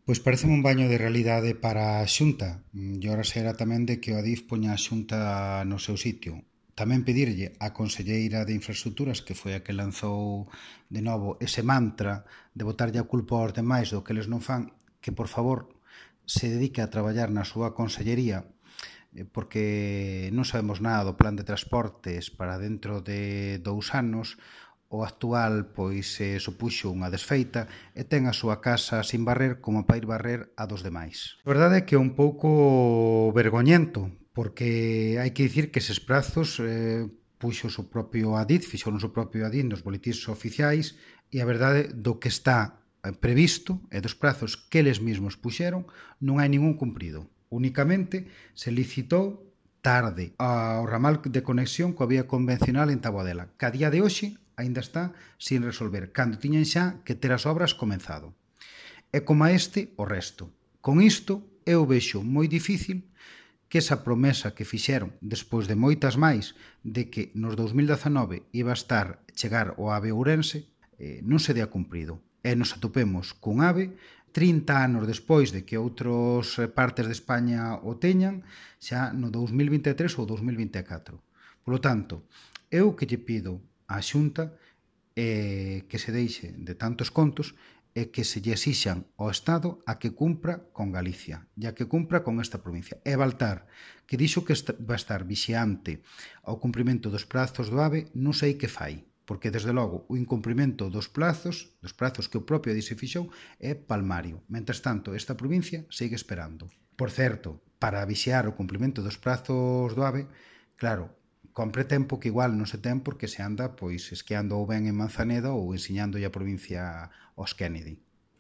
Pois pareceme un baño de realidade para a Xunta. E ora será tamén de que o Adif poña a Xunta no seu sitio. Tamén pedirlle á Conselleira de Infraestructuras, que foi a que lanzou de novo ese mantra de botarlle a culpa aos demais do que eles non fan, que por favor se dedique a traballar na súa consellería, porque non sabemos nada do plan de transportes para dentro de 2 anos. O actual pois supuxo unha desfeita e ten a súa casa sin barrer como para ir barrer a dos demais. A verdade é que é un pouco vergoñento, porque hai que dicir que eses prazos puxo o propio Adif, fixo o seu propio Adif nos boletíns oficiais, e a verdade do que está previsto e dos prazos que eles mesmos puxeron non hai ningún cumprido. Únicamente se licitou tarde ao ramal de conexión coa vía convencional en Taboadela, que a día de hoxe aínda está sin resolver, cando tiñan xa que ter as obras comenzado. E como a este, o resto. Con isto, eu vexo moi difícil que esa promesa que fixeron, despois de moitas máis, de que nos 2019 iba a chegar o AVE Ourense, non se dea cumprido. E nos atopemos cun AVE 30 anos despois de que outras partes de España o teñan, xa no 2023 ou 2024. Por lo tanto, eu que lle pido á Xunta que se deixe de tantos contos e que se lle exixan ao Estado a que cumpra con Galicia e a que cumpra con esta provincia. E Baltar, que dixo que va a estar vixiante ao cumprimento dos prazos do AVE, non sei que fai, porque, desde logo, o incumprimento dos prazos que o propio ADI se fixou, é palmario. Mentres tanto, esta provincia segue esperando. Por certo, para vixiar o cumprimento dos prazos do AVE, claro, compre tempo que igual non se ten porque se anda pois esquiando ou ben en Manzaneda ou ensiñando a provincia aos Kennedy.